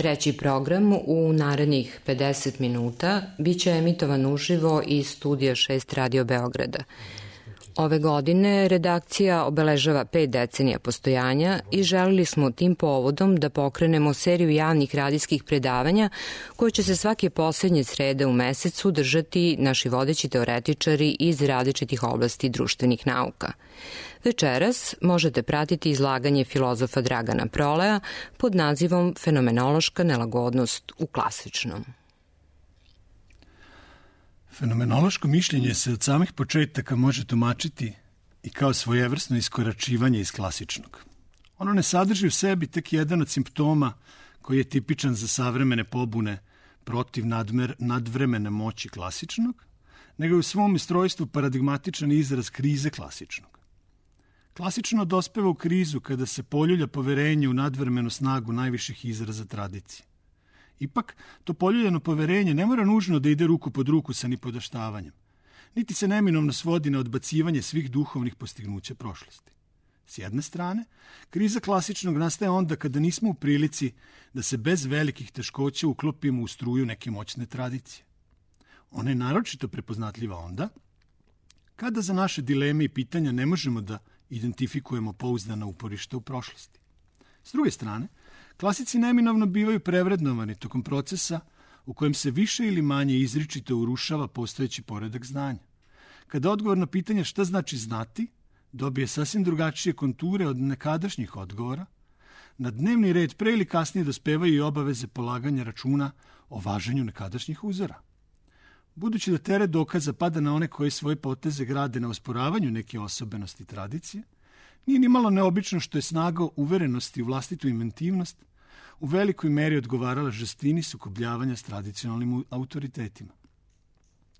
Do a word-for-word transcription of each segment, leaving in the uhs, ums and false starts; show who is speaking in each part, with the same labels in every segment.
Speaker 1: Treći program u narednih pedeset minuta biće emitovan uživo iz studija šest Radio Beograda. Ove godine redakcija obeležava pet decenija postojanja i želili smo tim povodom da pokrenemo seriju javnih radijskih predavanja koje će se svake poslednje srede u mesecu držati naši vodeći teoretičari iz različitih oblasti društvenih nauka. Večeras možete pratiti izlaganje filozofa Dragana Proleja pod nazivom Fenomenološka nelagodnost u klasičnom.
Speaker 2: Fenomenološko mišljenje se od samih početaka može tumačiti i kao svojevrsno iskoračivanje iz klasičnog. Ono ne sadrži u sebi tek jedan od simptoma koji je tipičan za savremene pobune protiv nadmer, nadvremene moći klasičnog, nego je u svom istrojstvu paradigmatičan izraz krize klasičnog. Klasično dospeva u krizu kada se poljulja poverenje u nadvremenu snagu najviših izraza tradicije. Ipak, to poljuljano poverenje ne mora nužno da ide ruku pod ruku sa nipodaštavanjem, niti se neminovno svodi na odbacivanje svih duhovnih postignuća prošlosti. S jedne strane, kriza klasičnog nastaje onda kada nismo u prilici da se bez velikih teškoća uklopimo u struju neke moćne tradicije. Ona je naročito prepoznatljiva onda kada za naše dileme i pitanja ne možemo da identifikujemo pouzdana uporišta u prošlosti. S druge strane, klasici neminovno bivaju prevrednovani tokom procesa u kojem se više ili manje izričito urušava postojeći poredak znanja. Kada odgovor na pitanje šta znači znati dobije sasvim drugačije konture od nekadašnjih odgovora, na dnevni red pre ili kasnije dospevaju i obaveze polaganja računa o važenju nekadašnjih uzora. Budući da teret dokaza pada na one koji svoje poteze grade na osporavanju neke osobenosti tradicije, nije ni malo neobično što je snaga uverenosti u vlastitu inventivnost u velikoj meri odgovarala žestini sukobljavanja s tradicionalnim autoritetima.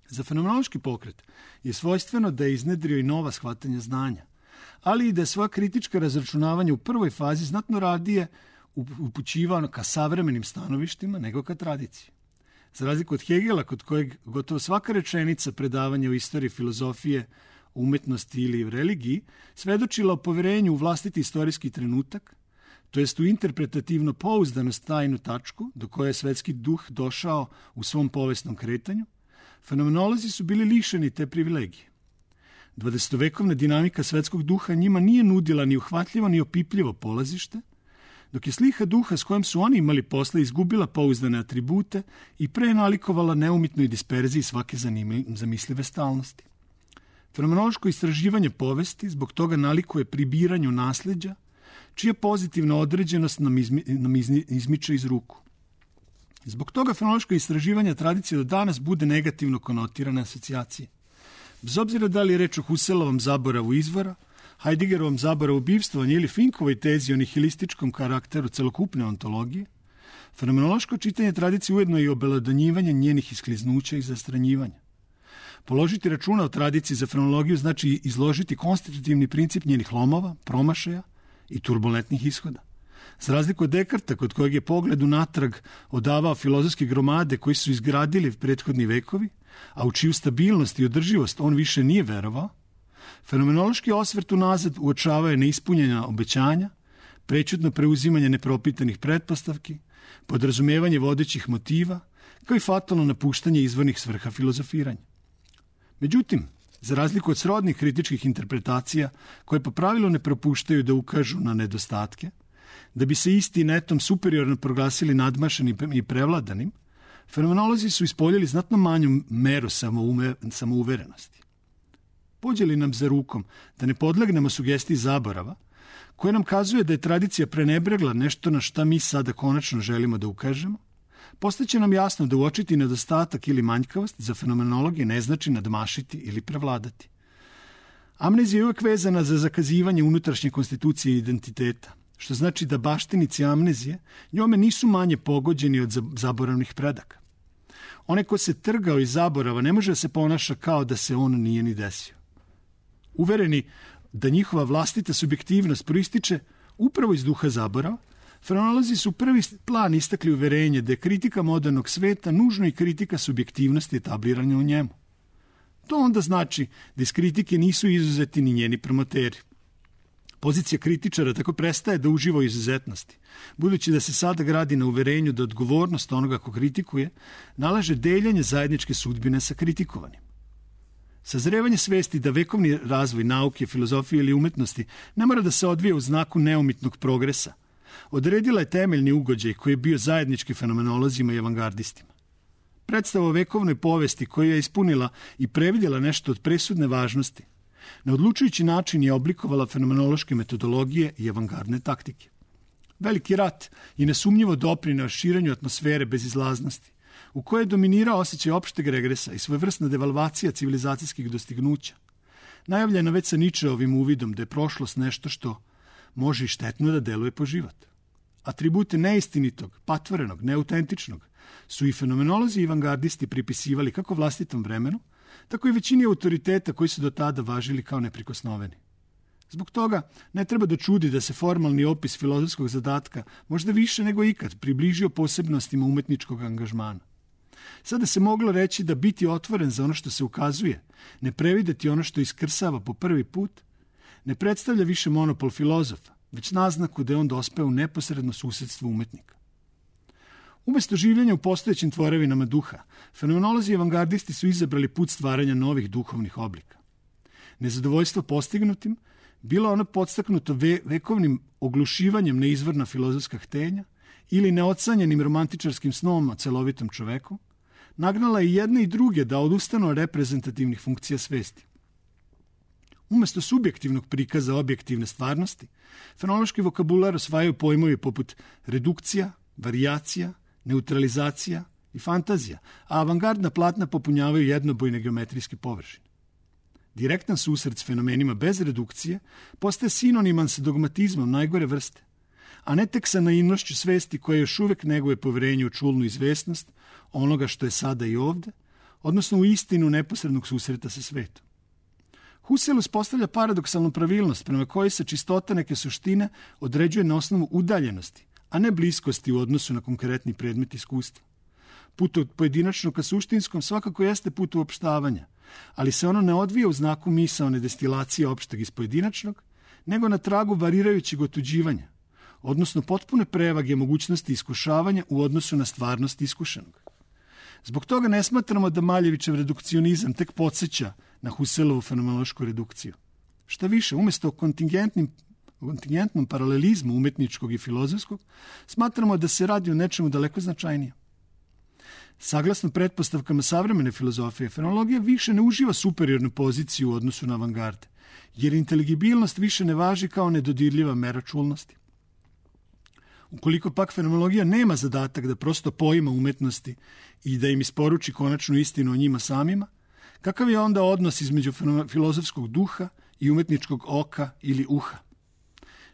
Speaker 2: Za fenomenološki pokret je svojstveno da je iznedrio i nova shvatanja znanja, ali i da je svoja kritička razračunavanja u prvoj fazi znatno radije upućivano ka savremenim stanovištima nego ka tradiciji. Za razliku od Hegela, kod kojeg gotovo svaka rečenica predavanja o istoriji filozofije, umetnosti ili u religiji, svedočila o poverenju u vlastiti istorijski trenutak, to jest u interpretativno pouzdanost tajnu tačku do koje je svetski duh došao u svom povesnom kretanju, fenomenolozi su bili lišeni te privilegije. dvadesetovekovna dinamika svetskog duha njima nije nudila ni uhvatljivo ni opipljivo polazište, dok je sliha duha s kojom su oni imali posla izgubila pouzdane atribute i prenalikovala neumitnoj disperziji svake zamislive stalnosti. Fenomenološko istraživanje povesti zbog toga nalikuje pribiranju nasleđa, čija pozitivna određenost nam, izmi, nam izmi, izmiče iz ruku. Zbog toga fenomenološko istraživanje tradicije do danas bude negativno konotirane asocijacije. Bez obzira da li je reč o Husserlovom zaboravu izvora, Heideggerovom zaboravu bivstvovanja ili Finkovoj tezi o nihilističkom karakteru celokupne ontologije, fenomenološko čitanje tradicije ujedno je i obelodanjivanje njenih iskliznuća i zastranjivanja. Položiti računa o tradiciji za fenomenologiju znači izložiti konstitutivni princip njenih lomova, promašaja i turbulentnih ishoda. Za razliku od Dekarta, kod kojeg je pogled unatrag odavao filozofske gromade koji su izgradili prethodni vekovi, a u čiju stabilnost i održivost on više nije verovao, fenomenološki osvrt unazad uočavao je neispunjenja obećanja, prećutno preuzimanje nepropitanih pretpostavki, podrazumevanje vodećih motiva, kao i fatalno napuštanje izvornih svrha filozofiranja. Međutim, za razliku od srodnih kritičkih interpretacija, koje po pravilu ne propuštaju da ukažu na nedostatke, da bi se isti netom superiorno proglasili nadmašenim i prevladanim, fenomenolozi su ispoljili znatno manju meru samoume, samouverenosti. Pođe li nam za rukom da ne podlegnemo sugestiji zaborava, koja nam kazuje da je tradicija prenebregla nešto na šta mi sada konačno želimo da ukažemo, postaće nam jasno da uočiti nedostatak ili manjkavost za fenomenologije ne znači nadmašiti ili prevladati. Amnezija je uvek vezana za zakazivanje unutrašnje konstitucije identiteta, što znači da baštinici amnezije njome nisu manje pogođeni od zaboravnih predaka. Onaj ko se trgao iz zaborava ne može da se ponaša kao da se on nije ni desio. Uvereni da njihova vlastita subjektivnost proističe upravo iz duha zaborava, fenomenolozi su prvi plan istakli uverenje da je kritika modernog sveta nužno i kritika subjektivnosti etabliranja u njemu. To onda znači da iz kritike nisu izuzeti ni njeni promoteri. Pozicija kritičara tako prestaje da uživa u izuzetnosti, budući da se sada gradi na uverenju da odgovornost onoga ko kritikuje nalaže deljenje zajedničke sudbine sa kritikovanim. Sazrevanje svesti da vekovni razvoj nauke, filozofije ili umetnosti ne mora da se odvije u znaku neumitnog progresa, odredila je temeljni ugođaj koji je bio zajednički fenomenolozima i avangardistima. Predstava o vekovnoj povesti koja je ispunila i previdjela nešto od presudne važnosti, na odlučujući način je oblikovala fenomenološke metodologije i avangardne taktike. Veliki rat je nesumnjivo doprineo širenju atmosfere bezizlaznosti, u kojoj je dominirao osjećaj opšteg regresa i svojevrsna devalvacija civilizacijskih dostignuća. Najavljena već sa Ničeovim uvidom da je prošlost nešto što može i štetno da deluje po život. Atribute neistinitog, patvorenog, neautentičnog su i fenomenolozi i avangardisti pripisivali kako vlastitom vremenu, tako i većini autoriteta koji su do tada važili kao neprikosnoveni. Zbog toga ne treba da čudi da se formalni opis filozofskog zadatka možda više nego ikad približio posebnostima umetničkog angažmana. Sada se moglo reći da biti otvoren za ono što se ukazuje, ne prevideti ono što iskrsava po prvi put, ne predstavlja više monopol filozofa, već naznaku da je on dospeo u neposredno susedstvo umetnika. Umesto življenja u postojećim tvorevinama duha, fenomenolozi i avangardisti su izabrali put stvaranja novih duhovnih oblika. Nezadovoljstvo postignutim bilo ono podstaknuto ve- vekovnim oglušivanjem na izvorna filozofska htenja ili neocanjenim romantičarskim snom o celovitom čoveku, nagnala i jedne i druge da odustanu od reprezentativnih funkcija svesti. Umesto subjektivnog prikaza objektivne stvarnosti, fenomenološki vokabular osvajaju pojmovi poput redukcija, varijacija, neutralizacija i fantazija, a avangardna platna popunjavaju jednobojne geometrijske površine. Direktan susret s fenomenima bez redukcije postaje sinoniman sa dogmatizmom najgore vrste, a ne tek sa naivnošću svesti koja još uvek neguje poverenje u čulnu izvesnost onoga što je sada i ovde, odnosno u istinu neposrednog susreta sa svetom. Husserl uspostavlja paradoksalnu pravilnost prema kojoj se čistota neke suštine određuje na osnovu udaljenosti, a ne bliskosti u odnosu na konkretni predmet iskustva. Put od pojedinačnog ka suštinskom svakako jeste put uopštavanja, ali se ono ne odvija u znaku misaone destilacije opšteg iz pojedinačnog, nego na tragu varirajućeg otuđivanja, odnosno potpune prevage mogućnosti iskušavanja u odnosu na stvarnost iskušenog. Zbog toga ne smatramo da Maljevićev redukcionizam tek podsjeća na Husserlovu fenomenološku redukciju. Šta više, umesto kontingentnim kontingentnom paralelizmu umetničkog i filozofskog, smatramo da se radi o nečemu daleko značajnije. Saglasno pretpostavkama savremene filozofije, fenomenologija više ne uživa superiornu poziciju u odnosu na avangarde, jer inteligibilnost više ne važi kao nedodirljiva mera čulnosti. Ukoliko pak fenomenologija nema zadatak da prosto poima umetnosti i da im isporuči konačnu istinu o njima samima, kakav je onda odnos između filozofskog duha i umetničkog oka ili uha?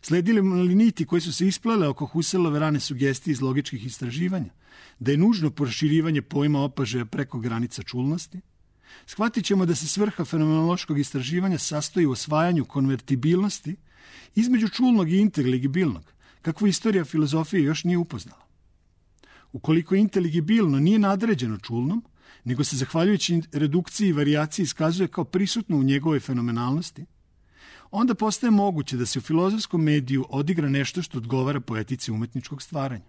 Speaker 2: Sledili li niti koji su se isplele oko Husserlove rane sugestije iz logičkih istraživanja, da je nužno proširivanje pojma opažaja preko granica čulnosti? Shvatit ćemo da se svrha fenomenološkog istraživanja sastoji u osvajanju konvertibilnosti između čulnog i inteligibilnog, kakvu istorija filozofije još nije upoznala. Ukoliko inteligibilno nije nadređeno čulnom, nego se zahvaljujući redukciji i varijaciji iskazuje kao prisutno u njegovoj fenomenalnosti, onda postaje moguće da se u filozofskom mediju odigra nešto što odgovara poetici umetničkog stvaranja.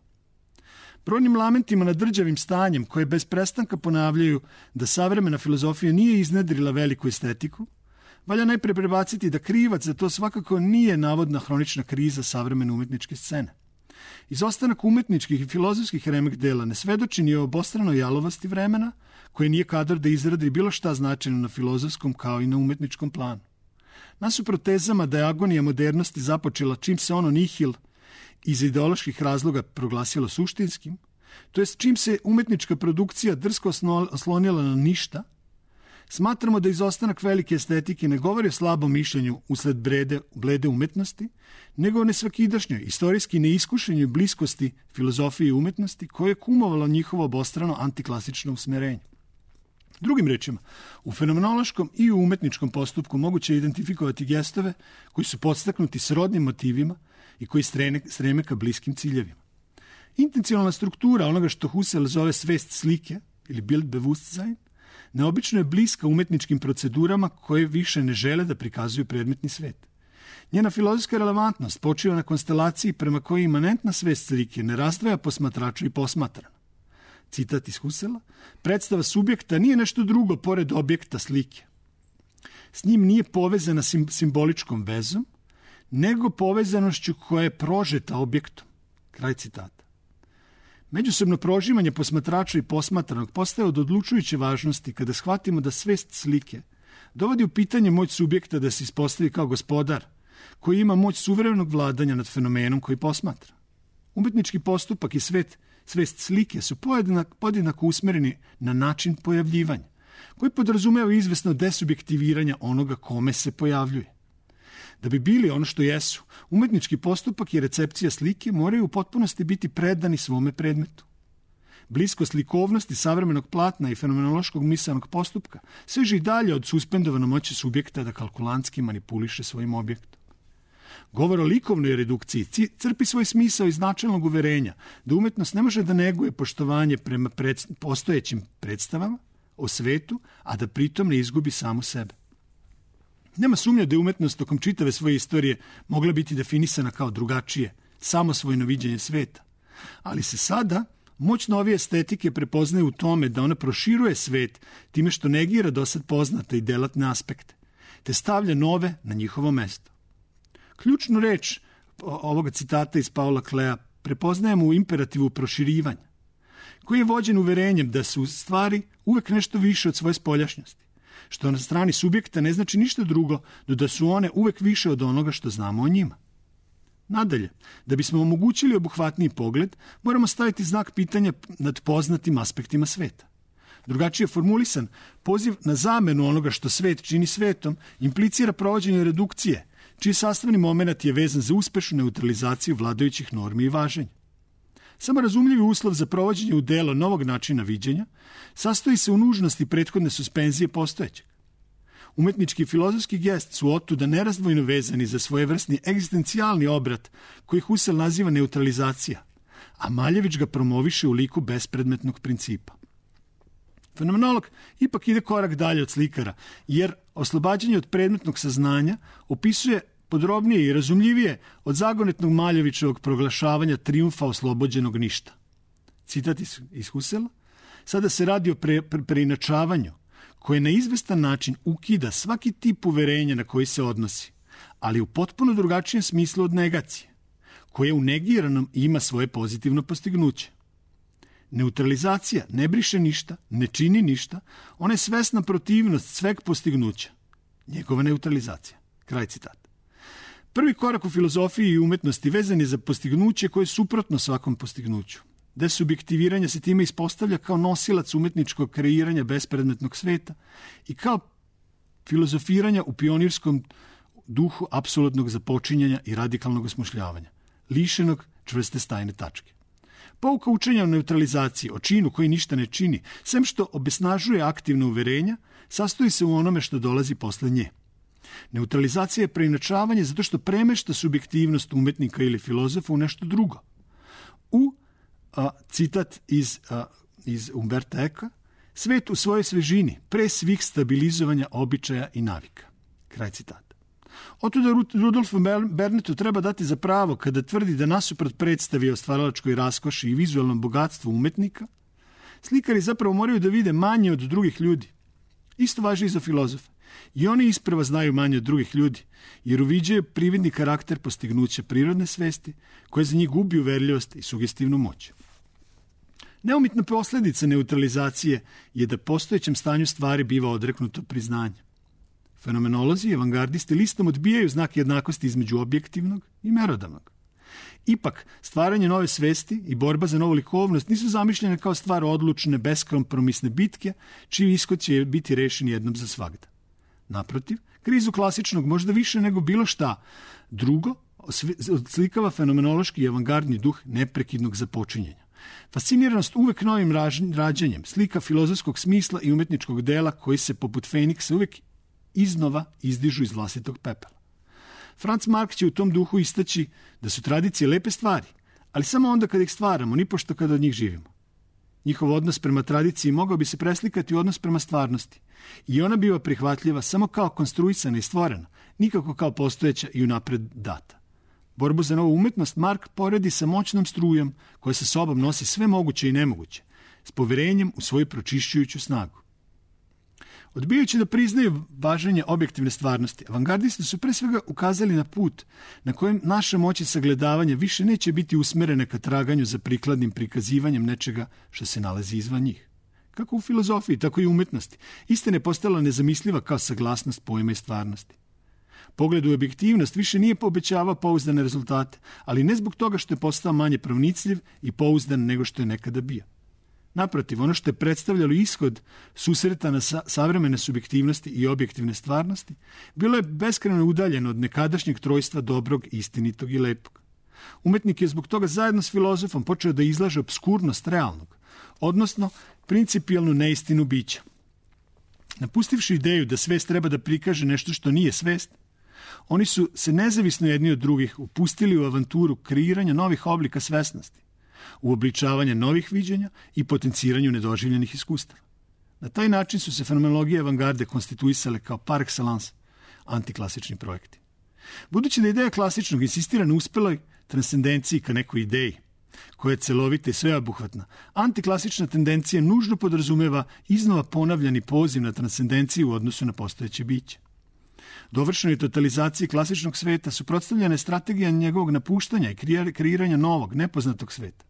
Speaker 2: Brojnim lamentima nad drđavim stanjem koje bez prestanka ponavljaju da savremena filozofija nije iznedrila veliku estetiku, valja najpre prebaciti da krivac za to svakako nije navodna hronična kriza savremene umetničke scene. Izostanak umetničkih i filozofskih remek dela ne svedoči ni o obostranoj jalovosti vremena, koje nije kadar da izradi bilo šta značajno na filozofskom kao i na umetničkom planu. Nasuprot tezama da je agonija modernosti započela čim se ono nihil iz ideoloških razloga proglasilo suštinskim, to jest čim se umetnička produkcija drsko oslonila na ništa, smatramo da izostanak velike estetike ne govori o slabom mišljenju usled brede, blede umetnosti, nego o nesvakidašnjoj, istorijski neiskušenju bliskosti filozofije i umetnosti koje je kumovalo njihovo obostrano antiklasično usmerenje. Drugim rečima, u fenomenološkom i u umetničkom postupku moguće je identifikovati gestove koji su podstaknuti srodnim motivima i koji streme, streme ka bliskim ciljevima. Intencionalna struktura onoga što Husserl zove svest slike ili Bildbewusstsein neobično je bliska umetničkim procedurama koje više ne žele da prikazuju predmetni svet. Njena filozofska relevantnost počiva na konstelaciji prema kojoj imanentna svest slike ne razdvaja posmatrača i posmatrana. Citat iz Husserla: predstava subjekta nije nešto drugo pored objekta slike. S njim nije povezana sim, simboličkom vezom, nego povezanošću koja je prožeta objektom. Kraj citata. Međusobno prožimanje posmatrača i posmatranog postaje od odlučujuće važnosti kada shvatimo da svest slike dovodi u pitanje moć subjekta da se ispostavi kao gospodar, koji ima moć suvremenog vladanja nad fenomenom koji posmatra. Umetnički postupak i svet, svest slike su podjednako, podjednako usmereni na način pojavljivanja, koji podrazumeva izvesno desubjektiviranja onoga kome se pojavljuje. Da bi bili ono što jesu, umetnički postupak i recepcija slike moraju u potpunosti biti predani svome predmetu. Bliskost likovnosti savremenog platna i fenomenološkog misanog postupka seže i dalje od suspendovane moći subjekta da kalkulantski manipuliše svojim objektom. Govor o likovnoj redukciji crpi svoj smisao iz načelnog uverenja da umetnost ne može da neguje poštovanje prema pred, postojećim predstavama o svetu, a da pritom ne izgubi samu sebe. Nema sumnja da je umetnost tokom čitave svoje istorije mogla biti definisana kao drugačije, samosvojno viđenje sveta. Ali se sada moć novije estetike prepoznaje u tome da ona proširuje svet time što negira dosad poznate i delatne aspekte, te stavlja nove na njihovo mesto. Ključnu reč ovoga citata iz Paula Klea prepoznajemo u imperativu proširivanja, koji je vođen uverenjem da su stvari uvek nešto više od svoje spoljašnjosti, što na strani subjekta ne znači ništa drugo do da su one uvek više od onoga što znamo o njima. Nadalje, da bismo omogućili obuhvatniji pogled, moramo staviti znak pitanja nad poznatim aspektima sveta. Drugačije formulisan, poziv na zamenu onoga što svet čini svetom implicira provođenje redukcije, čiji sastavni moment je vezan za uspešnu neutralizaciju vladajućih normi i važenja. Samo razumljivi uslov za provođenje u delo novog načina viđenja sastoji se u nužnosti prethodne suspenzije postojećeg. Umetnički i filozofski gest su otuda nerazdvojno vezani za svojevrsni egzistencijalni obrat koji Husserl naziva neutralizacija, a Maljević ga promoviše u liku bespredmetnog principa. Fenomenolog ipak ide korak dalje od slikara, jer oslobađanje od predmetnog saznanja opisuje podrobnije i razumljivije od zagonetnog Maljevićevog proglašavanja trijumfa oslobođenog ništa. Citat iz, iz Husserla: sada se radi o pre, pre, preinačavanju koje na izvestan način ukida svaki tip uverenja na koji se odnosi, ali u potpuno drugačijem smislu od negacije, koje u negiranom ima svoje pozitivno postignuće. Neutralizacija ne briše ništa, ne čini ništa, ona je svesna protivnost sveg postignuća. Njegova neutralizacija. Kraj citata. Prvi korak u filozofiji i umetnosti vezan je za postignuće koje je suprotno svakom postignuću. Desubjektiviranje se time ispostavlja kao nosilac umetničkog kreiranja bespredmetnog sveta i kao filozofiranja u pionirskom duhu apsolutnog započinjanja i radikalnog osmišljavanja, lišenog čvrste stajne tačke. Pouka učenja o neutralizaciji, o činu koji ništa ne čini, sem što obesnažuje aktivno uverenja, sastoji se u onome što dolazi posle nje. Neutralizacija je preinačavanje zato što premešta subjektivnost umetnika ili filozofa u nešto drugo. U a, citat iz, a, iz Umberta Eka: svet u svojoj svežini, pre svih stabilizovanja običaja i navika. Kraj citata. Otuda Rudolfu Bernetu treba dati za pravo kada tvrdi da nasuprot predstavi o stvaralačkoj raskoši i vizualnom bogatstvu umetnika, slikari zapravo moraju da vide manje od drugih ljudi. Isto važi i za filozofe. I oni isprva znaju manje od drugih ljudi, jer uviđaju prividni karakter postignuća prirodne svesti, koje za njih gubi uverljivost i sugestivnu moć. Neumitna posljedica neutralizacije je da postojećem stanju stvari biva odreknuto priznanje. Fenomenolozi i avangardisti listom odbijaju znak jednakosti između objektivnog i merodavnog. Ipak, stvaranje nove svesti i borba za novu likovnost nisu zamišljene kao stvar odlučne, beskompromisne bitke, čiji ishod će biti rešen jednom za svagda. Naprotiv, krizu klasičnog možda više nego bilo šta drugo odslikava fenomenološki i avangardni duh neprekidnog započinjenja. Fasciniranost uvek novim rađanjem, slika filozofskog smisla i umetničkog dela koji se poput Feniksa uvek iznova izdižu iz vlastitog pepela. Franz Marc će u tom duhu istaći da su tradicije lepe stvari, ali samo onda kada ih stvaramo, nipošto kada od njih živimo. Njihov odnos prema tradiciji mogao bi se preslikati u odnos prema stvarnosti i ona biva prihvatljiva samo kao konstruisana i stvorena, nikako kao postojeća i unapred data. Borbu za novu umetnost Mark poredi sa moćnom strujom koja sa sobom nosi sve moguće i nemoguće, s poverenjem u svoju pročišćujuću snagu. Odbijajući da priznaju važenje objektivne stvarnosti, avangardisti su pre svega ukazali na put na kojem naša moć i sagledavanja više neće biti usmerene ka traganju za prikladnim prikazivanjem nečega što se nalazi izvan njih. Kako u filozofiji, tako i u umetnosti, istina je postala nezamisliva kao saglasnost pojma i stvarnosti. Pogled u objektivnost više nije obećavao pouzdane rezultate, ali ne zbog toga što je postao manje pronicljiv i pouzdan nego što je nekada bio. Naprotiv, ono što je predstavljalo ishod susreta na sa- savremene subjektivnosti i objektivne stvarnosti, bilo je beskrajno udaljeno od nekadašnjeg trojstva dobrog, istinitog i lepog. Umetnik je zbog toga zajedno s filozofom počeo da izlaže obskurnost realnog, odnosno principijalnu neistinu bića. Napustivši ideju da svest treba da prikaže nešto što nije svest, oni su se nezavisno jedni od drugih upustili u avanturu kreiranja novih oblika svesnosti, u obličavanje novih viđenja i potenciranju nedoživljenih iskustava. Na taj način su se fenomenologije avangarde konstituisale kao par excellence antiklasični projekti. Budući da ideja klasičnog insistira na uspeloj transcendenciji ka nekoj ideji, koja je celovita i sveobuhvatna, antiklasična tendencija nužno podrazumeva iznova ponavljani poziv na transcendenciju u odnosu na postojeće biće. Dovršenoj totalizaciji klasičnog sveta suprotstavljena je strategija njegovog napuštanja i kreiranja novog, nepoznatog sveta.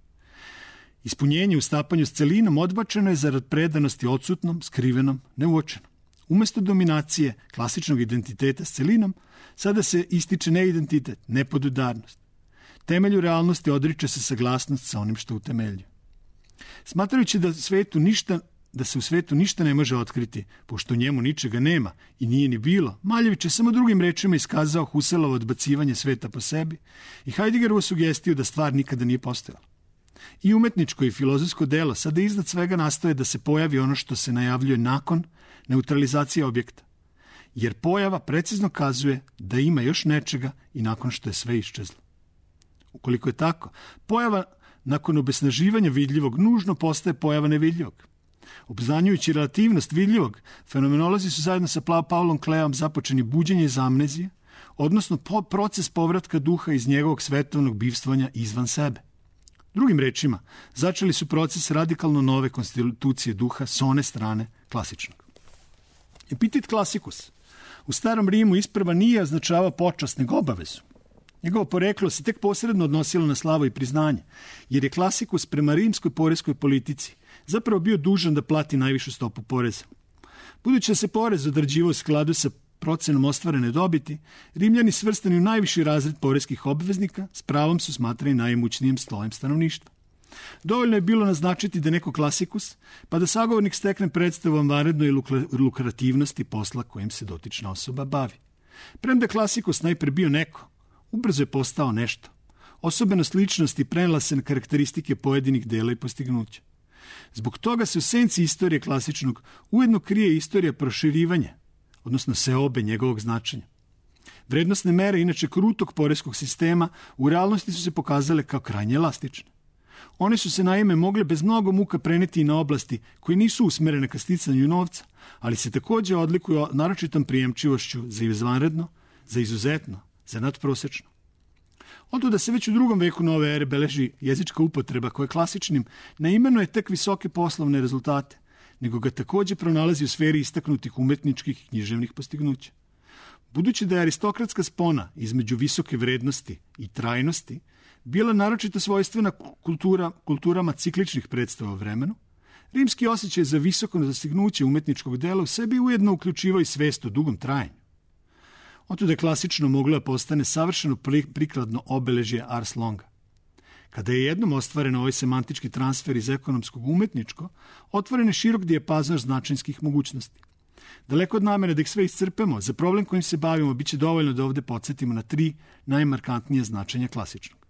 Speaker 2: Ispunjenje u stapanju s celinom odbačeno je zarad predanosti odsutnom, skrivenom, neuočenom. Umesto dominacije klasičnog identiteta s celinom, sada se ističe neidentitet, nepodudarnost. Temelju realnosti odriče se saglasnost sa onim što utemeljuje. Smatrajući da, svetu ništa, da se u svetu ništa ne može otkriti, pošto u njemu ničega nema i nije ni bilo, Maljević je samo drugim rečima iskazao Husserlovo odbacivanje sveta po sebi i Heideggerovu sugestiju da stvar nikada nije postojala. I umetničko i filozofsko delo sada iznad svega nastoje da se pojavi ono što se najavljuje nakon neutralizacije objekta, jer pojava precizno kazuje da ima još nečega i nakon što je sve iščezlo. Ukoliko je tako, pojava nakon obesnaživanja vidljivog nužno postaje pojava nevidljivog. Obznanjujući relativnost vidljivog, fenomenolozi su zajedno sa Paulom Kleom započeni buđenje iz amnezije, odnosno po proces povratka duha iz njegovog svetovnog bivstvanja izvan sebe. Drugim rečima, začeli su proces radikalno nove konstitucije duha s one strane klasičnog. Epitet klasikus u starom Rimu isprva nije označavao počast nego obavezu. Njegovo poreklo se tek posredno odnosilo na slavu i priznanje, jer je klasikus prema rimskoj poreskoj politici zapravo bio dužan da plati najvišu stopu poreza. Budući da se porez određivao u skladu sa procenom ostvarene dobiti, Rimljani svrstani u najviši razred poreskih obveznika s pravom su smatrani najimućnijim slojem stanovništva. Dovoljno je bilo naznačiti da neko klasikus, pa da sagovornik stekne predstavu o vanrednoj lukrativnosti posla kojim se dotična osoba bavi. Premda klasikus najpre bio neko, ubrzo je postao nešto. Osobenost ličnosti prenela se na karakteristike pojedinih dela i postignuća. Zbog toga se u senci istorije klasičnog ujedno krije istorija proširivanja, odnosno seobe njegovog značenja. Vrednostne mere, inače krutog poreskog sistema, u realnosti su se pokazale kao krajnje elastične. One su se naime mogle bez mnogo muka preneti i na oblasti koje nisu usmerene ka sticanju novca, ali se takođe odlikuju naročitom prijemčivošću za izvanredno, za izuzetno, za nadprosečno. Otuda se već u drugom veku nove ere beleži jezička upotreba koja klasičnim ne imenuje tek visoke poslovne rezultate, nego ga takođe pronalazi u sferi istaknutih umetničkih i književnih postignuća. Budući da je aristokratska spona između visoke vrednosti i trajnosti bila naročito svojstvena kultura, kulturama cikličnih predstava o vremenu, rimski osjećaj za visoko dostignuće umetničkog dela u sebi ujedno uključivao i svest o dugom trajanju. Otuda je klasično moglo da postane savršeno prikladno obeležje ars longa. Kada je jednom ostvaren ovaj semantički transfer iz ekonomskog u umetničko, otvoren je širok dijapazon značinskih mogućnosti. Daleko od namere da ih sve iscrpemo, za problem kojim se bavimo biće dovoljno da ovde podsjetimo na tri najmarkantnije značenja klasičnog.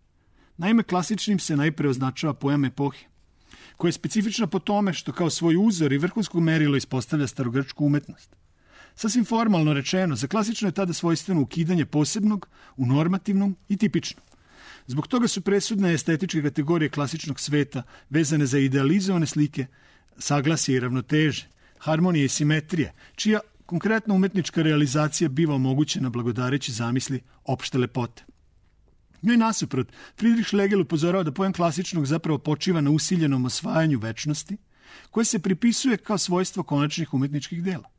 Speaker 2: Naime, klasičnim se najpre označava pojam epohe, koja je specifična po tome što kao svoj uzor i vrhunsko merilo ispostavlja starogrčku umetnost. Sasvim formalno rečeno, za klasično je tada svojstveno ukidanje posebnog u normativnom i tipičnom. Zbog toga su presudne estetičke kategorije klasičnog sveta vezane za idealizovane slike, saglasje i ravnoteže, harmonije i simetrije, čija konkretna umetnička realizacija biva omogućena blagodareći zamisli opšte lepote. Njoj nasuprot, Friedrich Schlegel upozorava da pojam klasičnog zapravo počiva na usiljenom osvajanju večnosti, koje se pripisuje kao svojstvo konačnih umetničkih dela.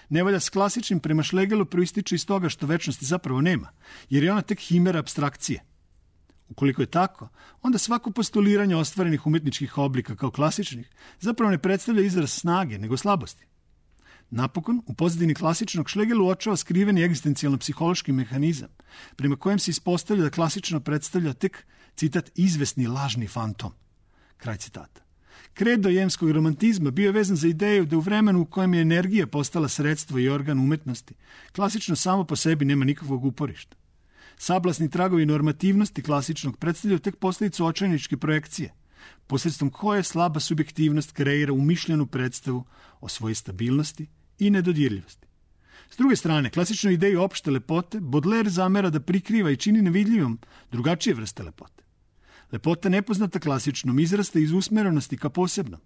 Speaker 2: Nevolja s klasičnim prema Schlegelu proističe iz toga što večnosti zapravo nema, jer je ona tek himera apstrakcije. Ukoliko je tako, onda svako postuliranje ostvarenih umetničkih oblika kao klasičnih zapravo ne predstavlja izraz snage, nego slabosti. Napokon, u pozadini klasičnog Schlegel uočava skriveni egzistencijalno-psihološki mehanizam, prema kojem se ispostavlja da klasično predstavlja tek, citat, izvesni lažni fantom. Kraj citata. Kredo jemskog romantizma bio je vezan za ideju da u vremenu u kojem je energija postala sredstvo i organ umetnosti, klasično samo po sebi nema nikakvog uporišta. Sablasni tragovi normativnosti klasičnog predstavljaju tek posljedicu očajničke projekcije, posredstvom koje slaba subjektivnost kreira umišljenu predstavu o svojoj stabilnosti i nedodirljivosti. S druge strane, klasičnoj ideji opšte lepote Baudelaire zamera da prikriva i čini nevidljivom drugačije vrste lepote. Lepota nepoznata klasičnom izrasta iz usmerenosti ka posebnom,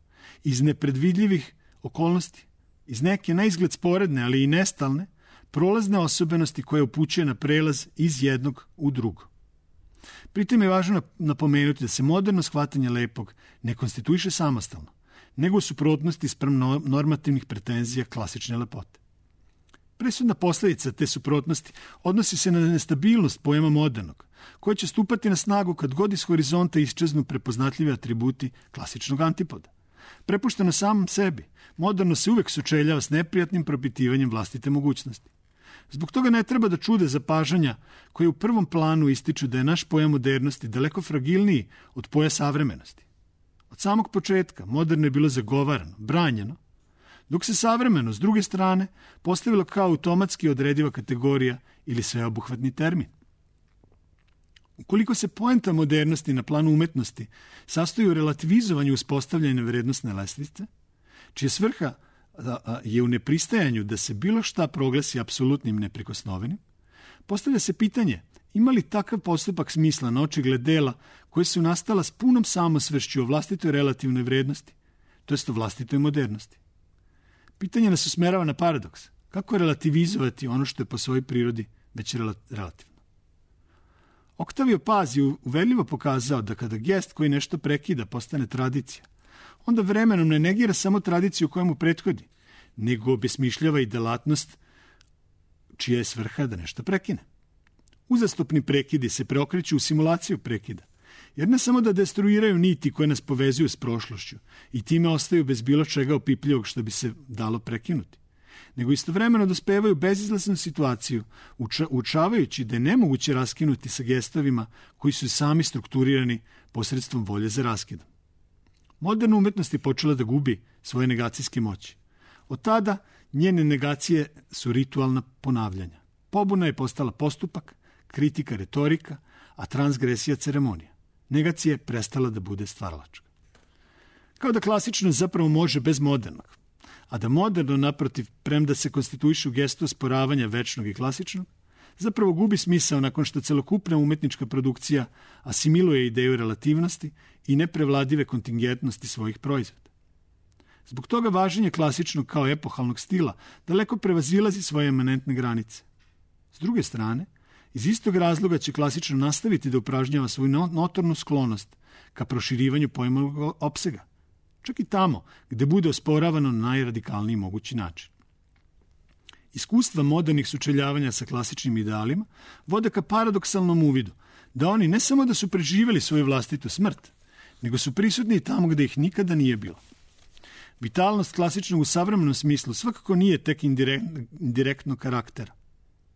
Speaker 2: iz nepredvidljivih okolnosti, iz neke na izgled sporedne, ali i nestalne, prolazne osobenosti koje upućuje na prelaz iz jednog u drugo. Pritom je važno napomenuti da se moderno shvatanje lepog ne konstituiše samostalno, nego u suprotnosti spram normativnih pretenzija klasične lepote. Presudna posljedica te suprotnosti odnosi se na nestabilnost pojama modernog, koja će stupati na snagu kad god iz horizonta iščeznu prepoznatljivi atributi klasičnog antipoda. Prepušteno samom sebi, moderno se uvek sučeljava s neprijatnim propitivanjem vlastite mogućnosti. Zbog toga ne treba da čude zapažanja koje u prvom planu ističu da je naš pojam modernosti daleko fragilniji od poja savremenosti. Od samog početka moderno je bilo zagovarano, branjeno, dok se savremeno, s druge strane, postavilo kao automatski odrediva kategorija ili sveobuhvatni termin. Ukoliko se poenta modernosti na planu umetnosti sastoji u relativizovanju uspostavljene vrednostne lestvice, čija svrha je u nepristajanju da se bilo šta proglasi apsolutnim neprikosnovenim, postavlja se pitanje ima li takav postupak smisla na očigled dela koje su nastala s punom samosvešću o vlastitoj relativnoj vrednosti, to jest o vlastitoj modernosti. Pitanje nas usmerava na paradoks. Kako relativizovati ono što je po svojoj prirodi već relativno? Octavio Paz je uverljivo pokazao da kada gest koji nešto prekida postane tradicija, onda vremenom ne negira samo tradiciju koja mu prethodi, nego obesmišljava i delatnost čija je svrha da nešto prekine. Uzastopni prekidi se preokreću u simulaciju prekida, jer ne samo da destruiraju niti koje nas povezuju s prošlošću i time ostaju bez bilo čega opipljivog što bi se dalo prekinuti, nego istovremeno dospevaju bezizlaznu situaciju, uča, učavajući da je nemoguće raskinuti sa gestovima koji su sami strukturirani posredstvom volje za raskidom. Moderna umetnost je počela da gubi svoje negacijske moći. Od tada njene negacije su ritualna ponavljanja. Pobuna je postala postupak, kritika retorika, a transgresija ceremonija. Negacija je prestala da bude stvaralačka. Kao da klasično zapravo može bez modernog, a da moderno, naprotiv, premda se konstituiše u gestu osporavanja večnog i klasičnog, zapravo gubi smisao nakon što celokupna umetnička produkcija asimiluje ideju relativnosti i neprevladive kontingentnosti svojih proizvoda. Zbog toga važenje klasičnog kao epohalnog stila daleko prevazilazi svoje emanentne granice. S druge strane, iz istog razloga će klasično nastaviti da upražnjava svoju notornu sklonost ka proširivanju pojmovnog opsega, čak i tamo gde bude osporavano na najradikalniji mogući način. Iskustva modernih sučeljavanja sa klasičnim idealima vode ka paradoksalnom uvidu da oni ne samo da su preživjeli svoju vlastitu smrt, nego su prisutni i tamo gde ih nikada nije bilo. Vitalnost klasičnog u savremenom smislu svakako nije tek indirektno karaktera,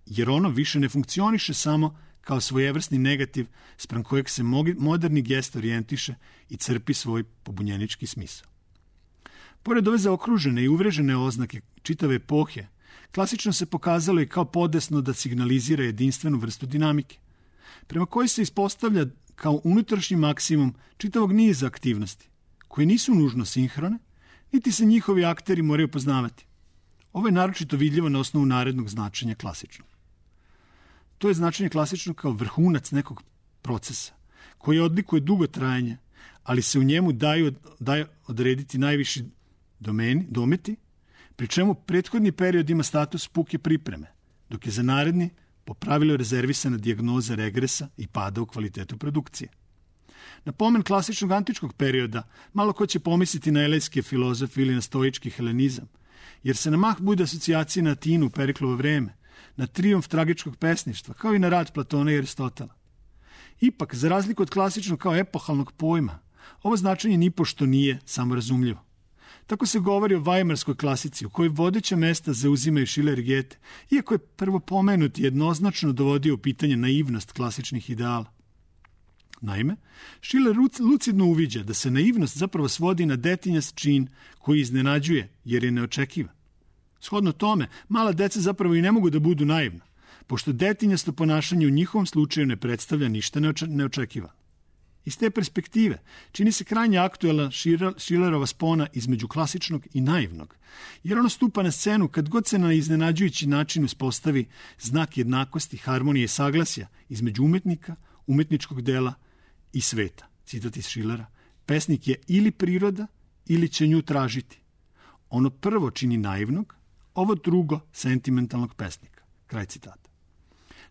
Speaker 2: jer ono više ne funkcioniše samo kao svojevrsni negativ spram kojeg se moderni gest orijentiše i crpi svoj pobunjenički smisao. Pored ove zaokružene i uvrežene oznake čitave epohe, klasično se pokazalo i kao podesno da signalizira jedinstvenu vrstu dinamike, prema kojoj se ispostavlja kao unutrašnji maksimum čitavog niza aktivnosti, koje nisu nužno sinhrone, niti se njihovi akteri moraju poznavati. Ovo je naročito vidljivo na osnovu narednog značenja klasičnog. To je značenje klasičnog kao vrhunac nekog procesa, koji odlikuje dugo trajanje, ali se u njemu daju, daju odrediti najviši domeni, dometi, pri čemu prethodni period ima status puke pripreme, dok je za naredni po pravilu rezervisana dijagnoza regresa i pada u kvalitetu produkcije. Na pomen klasičnog antičkog perioda malo ko će pomisliti na elejske filozofije ili na stoički helenizam, jer se na mah bude asocijacije na Atinu u Periklovo vreme, na trijumf tragičkog pesništva, kao i na rad Platona i Aristotela. Ipak, za razliku od klasičnog kao epohalnog pojma, ovo značenje nipošto nije samorazumljivo. Tako se govori o vajmarskoj klasici, u kojoj vodeća mesta zauzimaju Schiller i Goethe, iako je prvo pomenuti jednoznačno dovodio u pitanje naivnost klasičnih ideala. Naime, Schiller lucidno uviđa da se naivnost zapravo svodi na detinjast čin koji iznenađuje jer je neočekivan. Shodno tome, mala deca zapravo i ne mogu da budu naivna, pošto detinjasto ponašanje u njihovom slučaju ne predstavlja ništa neočekivano. Iz te perspektive čini se krajnje aktuelna Schillerova spona između klasičnog i naivnog, jer ono stupa na scenu kad god se na iznenađujući način uspostavi znak jednakosti, harmonije i saglasja između umetnika, umetničkog dela i sveta. Citat iz Schillera: pesnik je ili priroda ili će nju tražiti. Ono prvo čini naivnog, ovo drugo sentimentalnog pesnika. Kraj citata.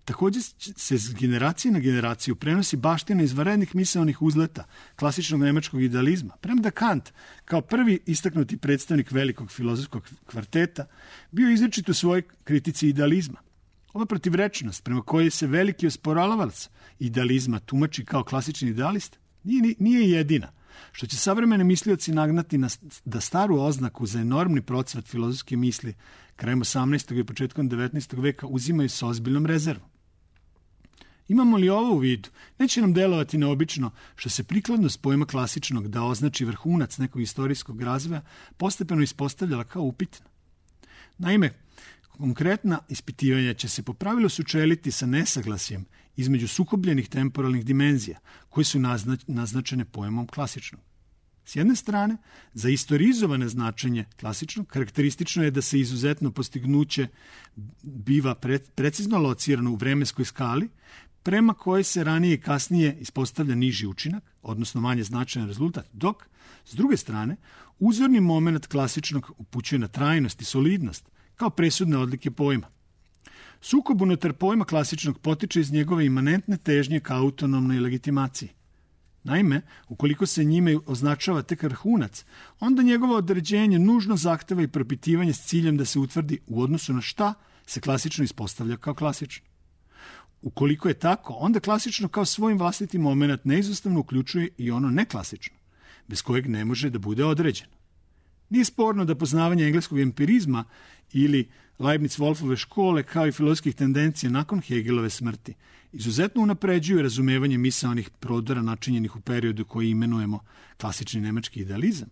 Speaker 2: Također se s generacije na generaciju prenosi baština izvanrednih misaonih uzleta klasičnog nemačkog idealizma, premda Kant, kao prvi istaknuti predstavnik velikog filozofskog kvarteta, bio izričit u svojoj kritici idealizma. Ova protivrečnost prema kojoj se veliki osporavalac idealizma tumači kao klasični idealist nije, nije jedina, što će savremeni mislioci nagnati na, da staru oznaku za enormni procvat filozofske misli krajem osamnaestog i početkom devetnaestog veka uzimaju sa ozbiljnom rezervom. Imamo li ovo u vidu, neće nam delovati neobično što se prikladnost pojma klasičnog da označi vrhunac nekog istorijskog razvoja postepeno ispostavljala kao upitna. Naime, konkretna ispitivanja će se po pravilu sučeliti sa nesaglasjem između sukobljenih temporalnih dimenzija koje su naznačene pojmom klasičnog. S jedne strane, za istorizovane značenje klasičnog karakteristično je da se izuzetno postignuće biva pre, precizno locirano u vremenskoj skali, prema kojoj se ranije i kasnije ispostavlja niži učinak, odnosno manje značajan rezultat, dok, s druge strane, uzorni moment klasičnog upućuje na trajnost i solidnost, kao presudne odlike pojma. Sukob unutar pojma klasičnog potiče iz njegove imanentne težnje ka autonomnoj legitimaciji. Naime, ukoliko se njime označava tek vrhunac, onda njegovo određenje nužno zahteva i propitivanje s ciljem da se utvrdi u odnosu na šta se klasično ispostavlja kao klasično. Ukoliko je tako, onda klasično kao svojim vlastiti moment neizostavno uključuje i ono neklasično, bez kojeg ne može da bude određeno. Nije sporno da poznavanje engleskog empirizma ili Leibniz-Wolfove škole kao i filozofskih tendencija nakon Hegelove smrti izuzetno unapređuju razumevanje misaonih prodora načinjenih u periodu koji imenujemo klasični nemački idealizam,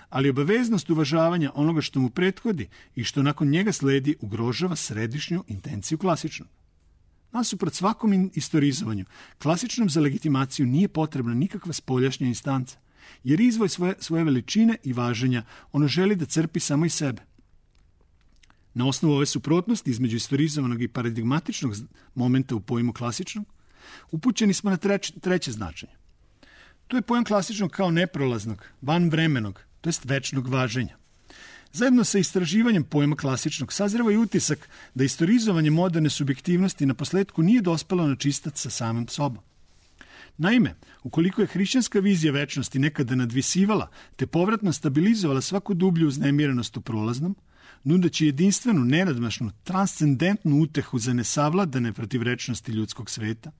Speaker 2: ali obaveznost uvažavanja onoga što mu prethodi i što nakon njega sledi ugrožava središnju intenciju klasičnog. Nasuprot svakom istorizovanju, klasičnom za legitimaciju nije potrebna nikakva spoljašnja instanca, jer izvoj svoje, svoje veličine i važenja ono želi da crpi samo iz sebe. Na osnovu ove suprotnosti između istorizovanog i paradigmatičnog momenta u pojmu klasičnog, upućeni smo na treć, treće značenje. To je pojam klasičnog kao neprolaznog, vanvremenog, to jest večnog važenja. Zajedno sa istraživanjem pojma klasičnog sazreva i utisak da istorizovanje moderne subjektivnosti na posledku nije dospelo na čistac sa samim sobom. Naime, ukoliko je hrišćanska vizija večnosti nekada nadvisivala te povratno stabilizovala svaku dublju uznemirenost u prolaznom, nudeći jedinstvenu, nenadmašnu, transcendentnu utehu za nesavladane protivrečnosti ljudskog sveta,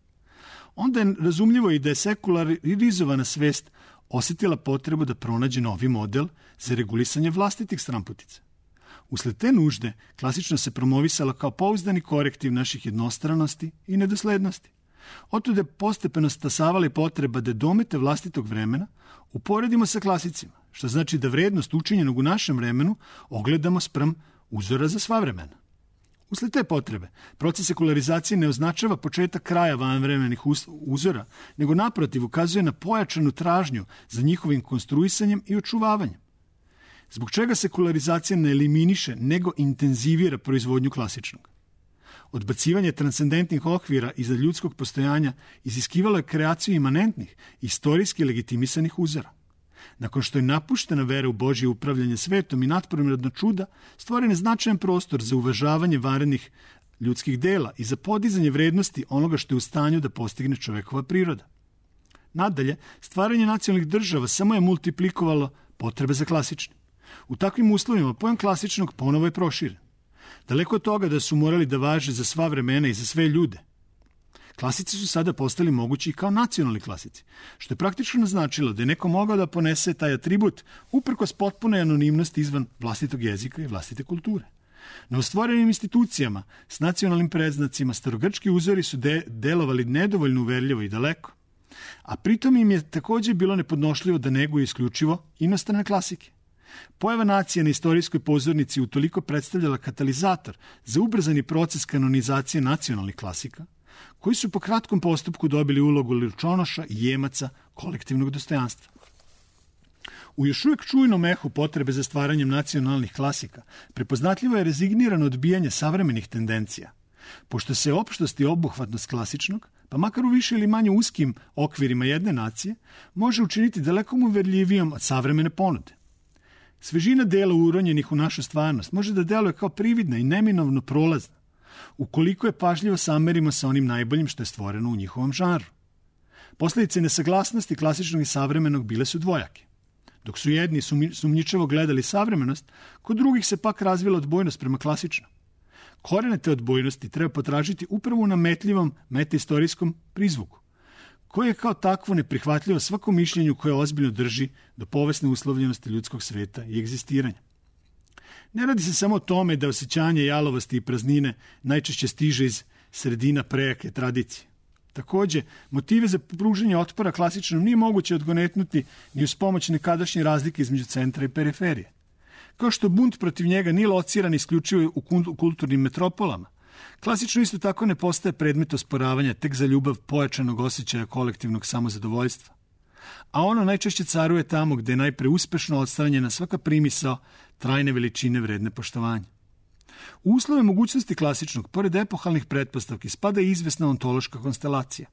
Speaker 2: onda je razumljivo i da je sekularizovana svest osjetila potrebu da pronađe novi model za regulisanje vlastitih stramputica. Usled te nužde, klasično se promovisala kao pouzdani korektiv naših jednostranosti i nedoslednosti. Otuda je postepeno stasavala i potreba da domete vlastitog vremena uporedimo sa klasicima, što znači da vrednost učinjenog u našem vremenu ogledamo spram uzora za sva vremena. Usled te potrebe, proces sekularizacije ne označava početak kraja vanvremenih uzora, nego naprotiv ukazuje na pojačanu tražnju za njihovim konstruisanjem i očuvavanjem. Zbog čega sekularizacija ne eliminiše, nego intenzivira proizvodnju klasičnog? Odbacivanje transcendentnih okvira iza ljudskog postojanja iziskivalo je kreaciju imanentnih, istorijski legitimisanih uzora. Nakon što je napuštena vera u Božje upravljanje svetom i natprirodna čuda, stvoren je značajan prostor za uvažavanje vanrednih ljudskih dela i za podizanje vrednosti onoga što je u stanju da postigne čovekova priroda. Nadalje, stvaranje nacionalnih država samo je multiplikovalo potrebe za klasičnim. U takvim uslovima pojam klasičnog ponovo je proširen. Daleko od toga da su morali da važe za sva vremena i za sve ljude. Klasici su sada postali mogući i kao nacionalni klasici, što je praktično značilo da je neko mogao da ponese taj atribut uprkos potpune anonimnosti izvan vlastitog jezika i vlastite kulture. Na ostvorenim institucijama s nacionalnim predznacima starogrčki uzori su de- delovali nedovoljno uverljivo i daleko, a pritom im je također bilo nepodnošljivo da neguju isključivo inostrane klasike. Pojava nacije na istorijskoj pozornici utoliko predstavljala katalizator za ubrzani proces kanonizacije nacionalnih klasika, koji su po kratkom postupku dobili ulogu ličonoša i jemaca kolektivnog dostojanstva. U još uvijek čujnom ehu potrebe za stvaranjem nacionalnih klasika prepoznatljivo je rezignirano odbijanje savremenih tendencija, pošto se opštost i obuhvatnost klasičnog, pa makar u više ili manje uskim okvirima jedne nacije, može učiniti daleko uverljivijom od savremene ponude. Svežina dela uronjenih u našu stvarnost može da deluje kao prividna i neminovno prolazna, ukoliko je pažljivo samerimo sa onim najboljim što je stvoreno u njihovom žanru. Posljedice nesaglasnosti klasičnog i savremenog bile su dvojake. Dok su jedni sumnjičavo gledali savremenost, kod drugih se pak razvila odbojnost prema klasičnom. Korene te odbojnosti treba potražiti upravo u nametljivom metaistorijskom prizvuku, koje je kao takvo neprihvatljivo svakom mišljenju koje ozbiljno drži do povesne uslovljenosti ljudskog sveta i egzistiranja. Ne radi se samo o tome da osjećanje jalovosti i praznine najčešće stiže iz sredina prejake tradicije. Također, motive za pružanje otpora klasičnom nije moguće odgonetnuti ni uz pomoć nekadašnje razlike između centra i periferije. Kao što bunt protiv njega nije lociran isključivo u kulturnim metropolama, klasično isto tako ne postaje predmet osporavanja tek za ljubav pojačanog osjećaja kolektivnog samozadovoljstva. A ono najčešće caruje tamo gde je najpre uspešno odstranjena svaka primisao trajne veličine vredne poštovanja. U uslove mogućnosti klasičnog, pored epohalnih pretpostavki, spada i izvesna ontološka konstelacija.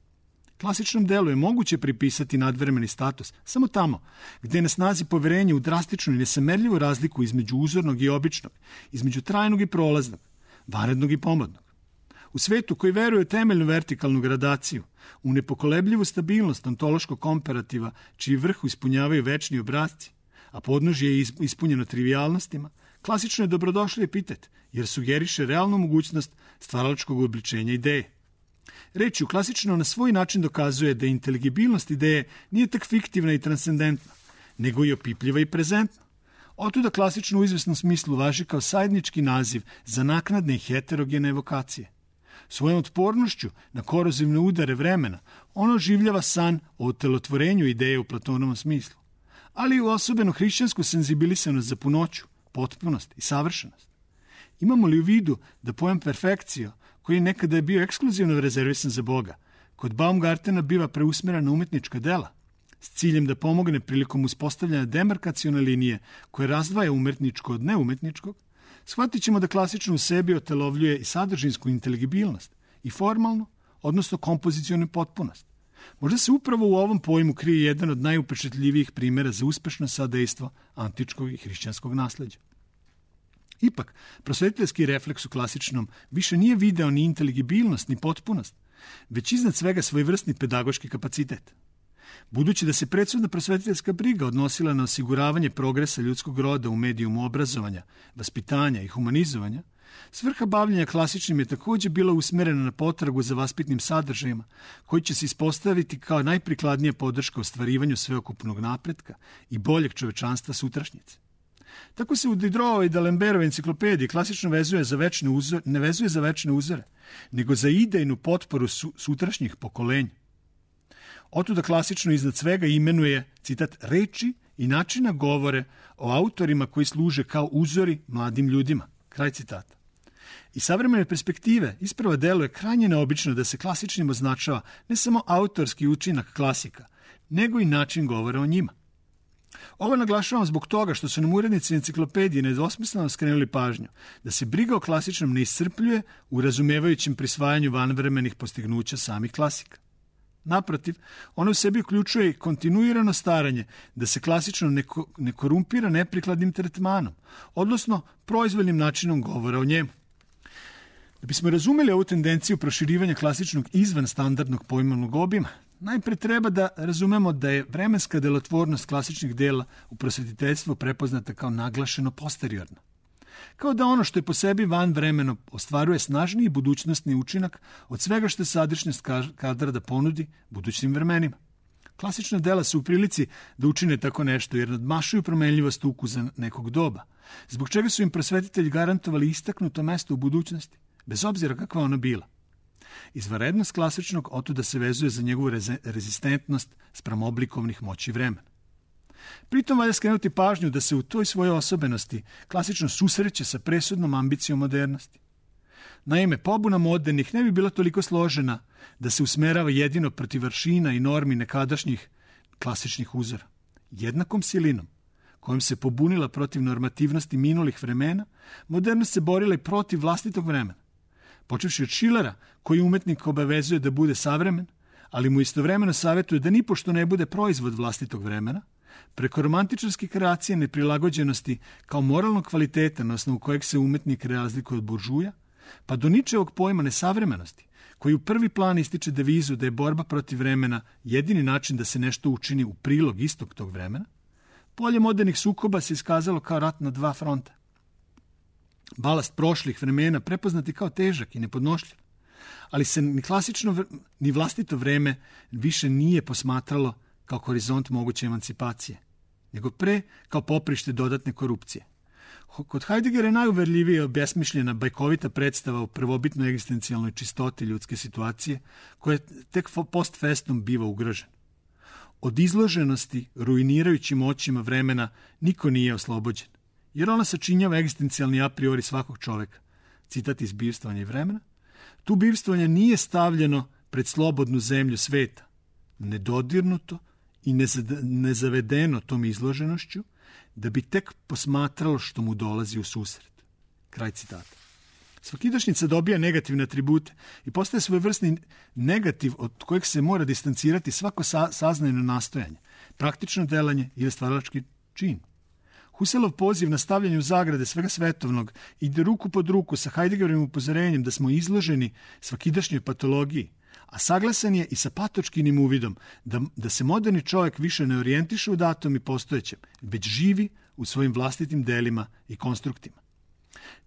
Speaker 2: Klasičnom delu je moguće pripisati nadvremeni status samo tamo gde je na snazi poverenje u drastičnu i nesamerljivu razliku između uzornog i običnog, između trajnog i prolaznog, vanrednog i pomodnog. U svetu koji veruje u temeljnu vertikalnu gradaciju, u nepokolebljivu stabilnost ontološkog komparativa, čiji vrhu ispunjavaju večni obrazci, a podnožje je ispunjeno trivijalnostima, klasično je dobrodošli epitet, jer sugeriše realnu mogućnost stvaralačkog obličenja ideje. Reč u klasično na svoj način dokazuje da inteligibilnost ideje nije tak fiktivna i transcendentna, nego i opipljiva i prezentna. Otuda klasično u izvesnom smislu važi kao sajednički naziv za naknadne i heterogene evokacije. Svojom otpornošću na korozivne udare vremena ono oživljava san o utelotvorenju ideje u Platonovom smislu, ali i u osobenu hrišćansku senzibilisanost za punoću, potpunost i savršenost. Imamo li u vidu da pojam perfekcija, koji nekada je bio ekskluzivno rezervisan za Boga, kod Baumgartena biva preusmjeren na umetnička dela, s ciljem da pomogne prilikom uspostavljanja demarkacione linije koje razdvaja umetničko od neumetničkog, shvatit ćemo da klasično u sebi otelovljuje i sadržinsku inteligibilnost i formalnu, odnosno kompozicijonu potpunost. Možda se upravo u ovom pojmu krije jedan od najupečetljivijih primjera za uspešno sadejstvo antičkog i hrišćanskog nasleđa. Ipak, prosvetiteljski refleks u klasičnom više nije video ni inteligibilnost, ni potpunost, već iznad svega svojevrsni pedagoški kapacitet. Budući da se predsudna prosvetiteljska briga odnosila na osiguravanje progresa ljudskog roda u medijumu obrazovanja, vaspitanja i humanizovanja, svrha bavljenja klasičnim je također bila usmerena na potragu za vaspitnim sadržajima, koji će se ispostaviti kao najprikladnija podrška ostvarivanju sveokupnog napretka i boljeg čovečanstva sutrašnjice. Tako se u Diderotove i D'Alembertove enciklopediji klasično vezuje za večne uzore, ne vezuje za večne uzore, nego za idejnu potporu su, sutrašnjih pokolenja. Otuda klasično iznad svega imenuje, citat, reči i načina govore o autorima koji služe kao uzori mladim ljudima. Kraj citata. Iz savremene perspektive isprava deluje krajnje neobično da se klasičnim označava ne samo autorski učinak klasika, nego i način govora o njima. Ovo naglašavam zbog toga što su nam urednici enciklopedije nedvosmisleno skrenuli pažnju da se briga o klasičnom ne iscrpljuje u razumevajućem prisvajanju vanvremenih postignuća samih klasika. Naprotiv, ono u sebi uključuje i kontinuirano staranje da se klasično ne, ko, ne korumpira neprikladnim tretmanom, odnosno proizvoljnim načinom govora o njemu. Da bismo razumeli ovu tendenciju proširivanja klasičnog izvan standardnog pojmovnog obima, najpre treba da razumemo da je vremenska delotvornost klasičnih dela u prosvetiteljstvu prepoznata kao naglašeno posteriorno. Kao da ono što je po sebi van vremeno ostvaruje snažniji budućnostni učinak od svega što je sadašnjost kadra da ponudi budućim vremenima. Klasična dela su u prilici da učine tako nešto jer nadmašuju promenljivost ukusa nekog doba, zbog čega su im prosvetitelji garantovali istaknuto mesto u budućnosti, bez obzira kakva ona bila. Izvanrednost klasičnog otuda se vezuje za njegovu rezistentnost spram oblikovnih moći vremena. Pritom valja skrenuti pažnju da se u toj svojoj osobenosti klasično susreće sa presudnom ambicijom modernosti. Naime, pobuna modernih ne bi bila toliko složena da se usmerava jedino protiv vršina i normi nekadašnjih klasičnih uzora. Jednakom silinom, kojom se pobunila protiv normativnosti minulih vremena, modernost se borila i protiv vlastitog vremena. Počevši od Schillera, koji umetnik obavezuje da bude savremen, ali mu istovremeno savjetuje da nipošto ne bude proizvod vlastitog vremena, preko romantičarske kreacije neprilagođenosti kao moralnog kvaliteta na osnovu kojeg se umetnik razlikuje od buržuja, pa do Ničevog pojma nesavremenosti, koji u prvi plan ističe devizu da je borba protiv vremena jedini način da se nešto učini u prilog istog tog vremena, polje modernih sukoba se iskazalo kao rat na dva fronta. Balast prošlih vremena prepoznati kao težak i nepodnošljiv, ali se ni klasično ni vlastito vreme više nije posmatralo kao horizont moguće emancipacije, nego pre kao poprište dodatne korupcije. Kod Heideggera je najuverljivije obesmišljena bajkovita predstava o prvobitnoj egzistencijalnoj čistoti ljudske situacije, koja tek post festum biva ugrožena. Od izloženosti ruinirajućim očima vremena niko nije oslobođen, jer ona sačinjava egzistencijalni a priori svakog čoveka. Citat iz Bivstvovanja i vremena. Tu bivstvovanje nije stavljeno pred slobodnu zemlju sveta, nedodirnuto i nezavedeno tom izloženošću, da bi tek posmatralo što mu dolazi u susret. Kraj citata. Svakidašnjica dobija negativne atribute i postaje svojevrsni negativ od kojeg se mora distancirati svako sa, saznajno nastojanje, praktično delanje ili stvaralački čin. Husserlov poziv na stavljanje u zagrade svega svetovnog ide ruku pod ruku sa Heideggerovim upozorenjem da smo izloženi svakidašnjoj patologiji, a saglasan je i sa patočkinim uvidom da, da se moderni čovjek više ne orijentiše u datom i postojećem, već živi u svojim vlastitim delima i konstruktima.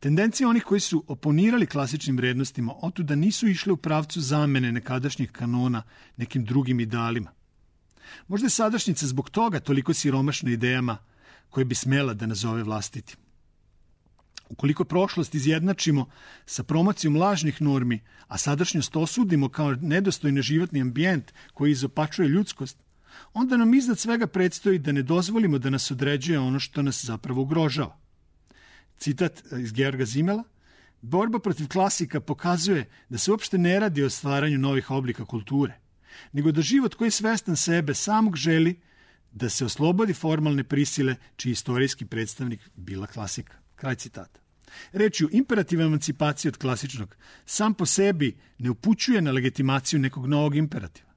Speaker 2: Tendencije onih koji su oponirali klasičnim vrednostima otuda nisu išle u pravcu zamene nekadašnjih kanona nekim drugim idealima. Možda je sadašnjica zbog toga toliko siromašna idejama koje bi smela da nazove vlastitim. Ukoliko prošlost izjednačimo sa promocijom lažnih normi, a sadašnjost osudimo kao nedostojni životni ambijent koji izopačuje ljudskost, onda nam iznad svega predstoji da ne dozvolimo da nas određuje ono što nas zapravo ugrožava. Citat iz Georga Simmela: borba protiv klasika pokazuje da se uopšte ne radi o stvaranju novih oblika kulture, nego da život koji je svestan sebe samog želi da se oslobodi formalne prisile čiji istorijski predstavnik bila klasika. Kraj citata. Rečju, imperativ emancipacije od klasičnog sam po sebi ne upućuje na legitimaciju nekog novog imperativa.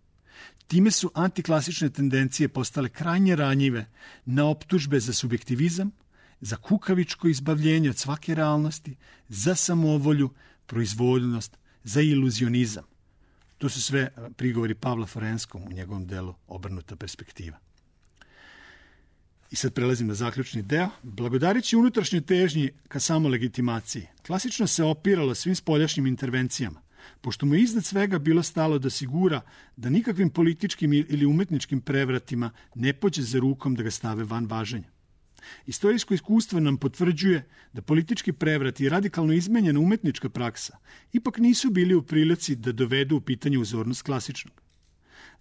Speaker 2: Time su antiklasične tendencije postale krajnje ranjive na optužbe za subjektivizam, za kukavičko izbavljenje od svake realnosti, za samovolju, proizvoljnost, za iluzionizam. To su sve prigovori Pavla Forenskom u njegovom delu Obrnuta perspektiva. I sad prelazim na zaključni deo. Blagodarići unutrašnjoj težnji ka samolegitimaciji, klasično se opiralo svim spoljašnjim intervencijama, pošto mu iznad svega bilo stalo da sigura da nikakvim političkim ili umetničkim prevratima ne pođe za rukom da ga stave van važenja. Istorijsko iskustvo nam potvrđuje da politički prevrat i radikalno izmenjena umetnička praksa ipak nisu bili u prilici da dovedu u pitanje uzornost klasičnog.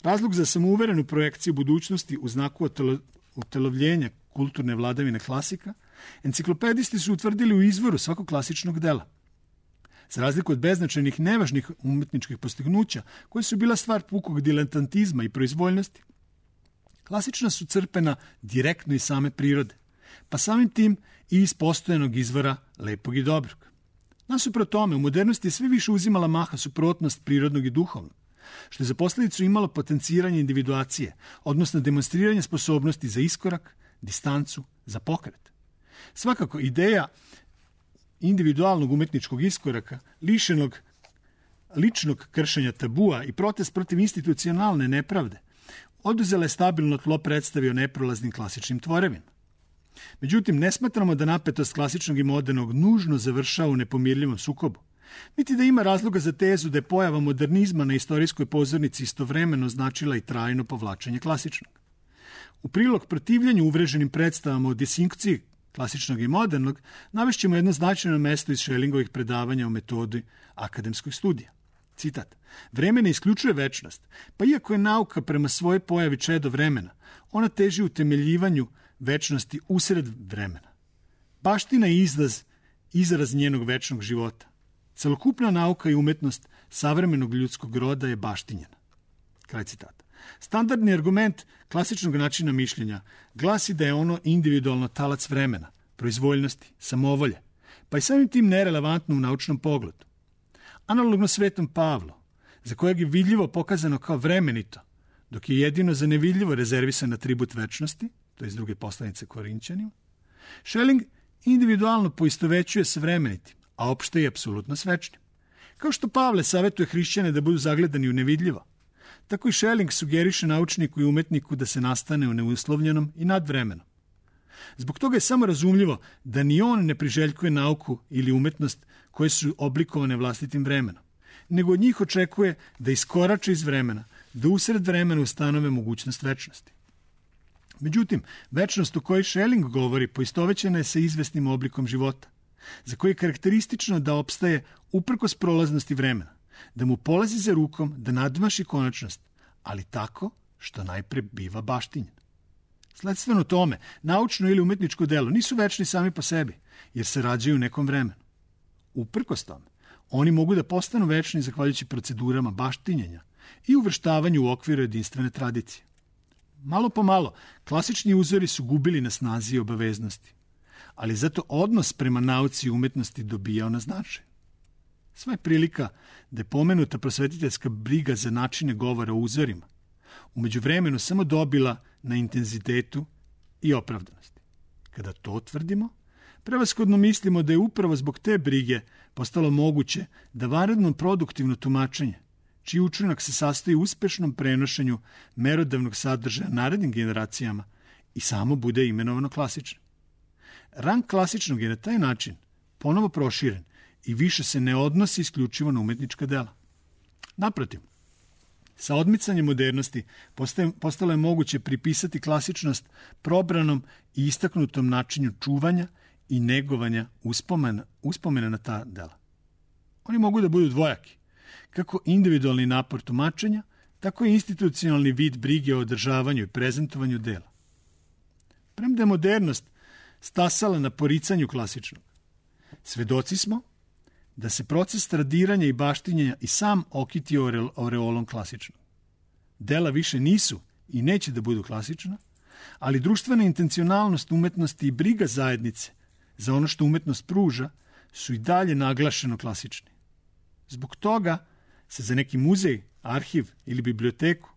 Speaker 2: Razlog za samouverenu projekciju budućnosti u znaku utelovljenja kulturne vladavine klasika, enciklopedisti su utvrdili u izvoru svakog klasičnog dela. Za razliku od beznačajnih nevažnih umetničkih postignuća, koje su bila stvar pukog diletantizma i proizvoljnosti, Klasična su crpena direktno iz same prirode, pa samim tim i iz postojanog izvora lepog i dobrog. Nasuprot tome, u modernosti je sve više uzimala maha suprotnost prirodnog i duhovnog, što je za posljedicu imalo potenciranje individuacije, odnosno demonstriranje sposobnosti za iskorak, distancu, za pokret. Svakako, ideja individualnog umetničkog iskoraka, lišenog ličnog kršenja tabua i protest protiv institucionalne nepravde, oduzela je stabilno tlo predstavi o neprolaznim klasičnim tvorevinama. Međutim, ne smatramo da napetost klasičnog i modernog nužno završava u nepomirljivom sukobu, niti da ima razloga za tezu da je pojava modernizma na istorijskoj pozornici istovremeno značila i trajno povlačenje klasičnog. U prilog protivljanju uvreženim predstavama o disinkciji klasičnog i modernog navešćemo jedno značajno mesto iz Schellingovih predavanja o metodi akademskog studija. Citat: vreme ne isključuje večnost, pa iako je nauka prema svojoj pojavi čedo vremena, ona teži utemeljivanju večnosti usred vremena. Baština je izraz, izraz njenog večnog života. Celokupna nauka i umetnost savremenog ljudskog roda je baštinjena. Kraj citata. Standardni argument klasičnog načina mišljenja glasi da je ono individualno talac vremena, proizvoljnosti, samovolje, pa i samim tim nerelevantno u naučnom pogledu. Analogno Svetom Pavlu, za kojeg je vidljivo pokazano kao vremenito, dok je jedino za nevidljivo rezervisan atribut večnosti, to je iz druge poslanice Korinćanima, Schelling individualno poistovećuje s vremenitim, a opšte i apsolutno s večnim. Kao što Pavle savjetuje hrišćane da budu zagledani u nevidljivo, tako i Schelling sugeriše naučniku i umetniku da se nastane u neuslovljenom i nadvremenom. Zbog toga je samo razumljivo da ni on ne priželjkuje nauku ili umetnost koje su oblikovane vlastitim vremenom, nego od njih očekuje da iskorače iz vremena, da usred vremena ustanove mogućnost večnosti. Međutim, večnost o kojoj Schelling govori poistovećena je sa izvesnim oblikom života, za koji je karakteristično da opstaje uprkos prolaznosti vremena, da mu polazi za rukom, da nadmaši konačnost, ali tako što najpre biva baštinjen. Sledstveno tome, naučno ili umetničko delo nisu večni sami po sebi, jer se rađaju u nekom vremenu. Uprkos tome, oni mogu da postanu večni zahvaljujući procedurama baštinjenja i uvrštavanju u okviru jedinstvene tradicije. Malo po malo, klasični uzori su gubili na snazi i obaveznosti, ali zato odnos prema nauci i umetnosti dobijao na značaju. Sva je prilika da je pomenuta prosvetiteljska briga za načine govora o uzorima u međuvremenu samo dobila na intenzitetu i opravdanosti. Kada to tvrdimo, prevashodno mislimo da je upravo zbog te brige postalo moguće da vanredno produktivno tumačenje, čiji učinak se sastoji u uspešnom prenošenju merodavnog sadržaja narednim generacijama, i samo bude imenovano klasično. Rang klasičnog je na taj način ponovo proširen i više se ne odnosi isključivo na umetnička dela. Naprotiv, sa odmicanjem modernosti postalo je moguće pripisati klasičnost probranom i istaknutom načinu čuvanja i negovanja uspomena, uspomena na ta dela. Oni mogu da budu dvojaki, kako individualni napor tumačenja, tako i institucionalni vid brige o održavanju i prezentovanju dela. Premda je modernost stasala na poricanju klasičnog, svedoci smo da se proces tradiranja i baštinjenja i sam okitio oreolom klasičnog. Dela više nisu i neće da budu klasična, ali društvena intencionalnost umetnosti i briga zajednice za ono što umetnost pruža su i dalje naglašeno klasični. Zbog toga se za neki muzej, arhiv ili biblioteku,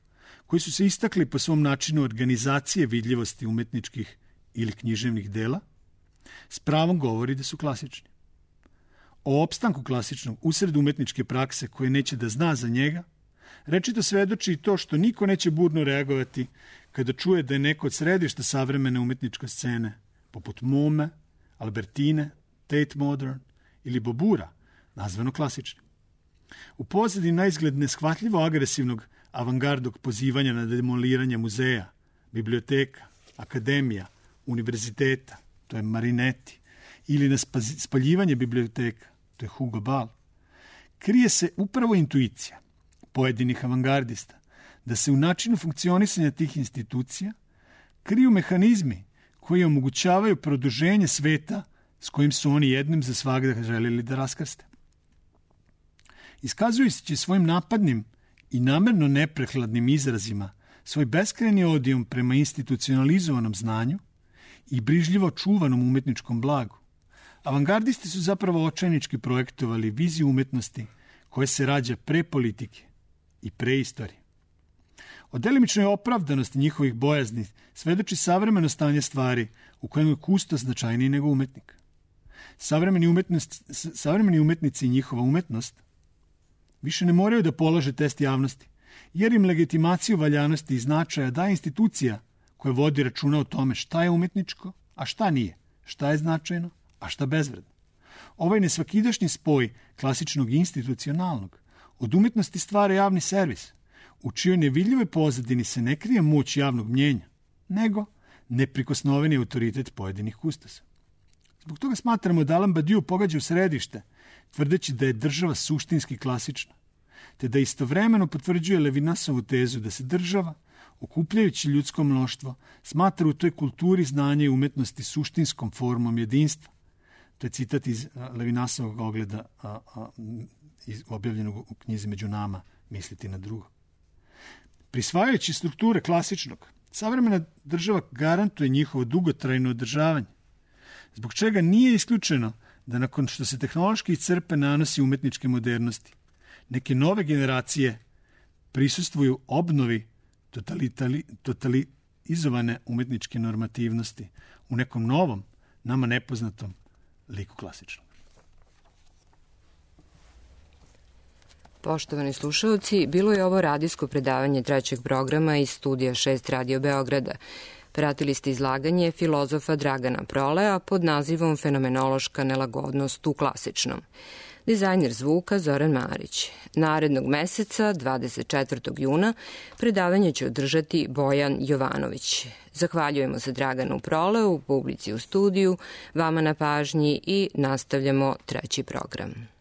Speaker 2: koji su se istakli po svom načinu organizacije vidljivosti umetničkih ili književnih dela, s pravom govori da su klasični. O opstanku klasičnog usred umetničke prakse koje neće da zna za njega, rečito svedoči i to što niko neće burno reagovati kada čuje da je neko od središta savremene umetničke scene, poput Mome, Albertine, Tate Modern ili Bobura, nazvano klasičnim. U pozadini na izgled neshvatljivo agresivnog avangardog pozivanja na demoliranje muzeja, biblioteka, akademija, univerziteta, to je Marinetti, ili na spaljivanje biblioteka, to je Hugo Ball, krije se upravo intuicija pojedinih avangardista da se u načinu funkcionisanja tih institucija kriju mehanizmi koji omogućavaju produženje sveta s kojim su oni jednim za svagda želeli da raskrste. Iskazujući svojim napadnim i namerno neprehladnim izrazima svoj beskrajni odijom prema institucionalizovanom znanju i brižljivo čuvanom umetničkom blagu, avangardisti su zapravo očajnički projektovali viziju umetnosti koja se rađa pre politike i pre istorije. O delimičnoj opravdanosti njihovih bojazni svedoči savremeno stanje stvari u kojem je kustos značajniji nego umetnik. Savremeni, umetnost, savremeni umetnici i njihova umetnost više ne moraju da polože test javnosti, jer im legitimaciju valjanosti i značaja daje institucija koja vodi računa o tome šta je umetničko, a šta nije, šta je značajno, a šta bezvredno. Ovaj nesvakidašnji spoj klasičnog i institucionalnog od umetnosti stvara javni servis, u čijoj nevidljivoj pozadini se ne krije moć javnog mnjenja, nego neprikosnoveni autoritet pojedinih kustosa. Zbog toga smatramo da Alain Badiou pogađa u središte, tvrdeći da je država suštinski klasična, te da istovremeno potvrđuje Levinasovu tezu da se država, okupljajući ljudsko mnoštvo, smatra u toj kulturi znanja i umetnosti suštinskom formom jedinstva. To je citat iz Levinasovog ogleda a, a, iz, objavljenog u knjizi Među nama, misliti na drugo. Prisvajajući strukture klasičnog, savremena država garantuje njihovo dugotrajno održavanje, zbog čega nije isključeno da nakon što se tehnološki iscrpe nanosi umetničke modernosti, neke nove generacije prisustvuju obnovi totalizovane umetničke normativnosti u nekom novom, nama nepoznatom liku klasičnog.
Speaker 1: Poštovani slušalci, bilo je ovo radijsko predavanje trećeg programa iz studija šest Radio Beograda. Pratili ste izlaganje filozofa Dragana Prolea pod nazivom Fenomenološka nelagodnost u klasičnom. Dizajner zvuka Zoran Marić. Narednog meseca, dvadeset četvrtog juna, predavanje će održati Bojan Jovanović. Zahvaljujemo se Draganu Proleu, publici u studiju, vama na pažnji i nastavljamo treći program.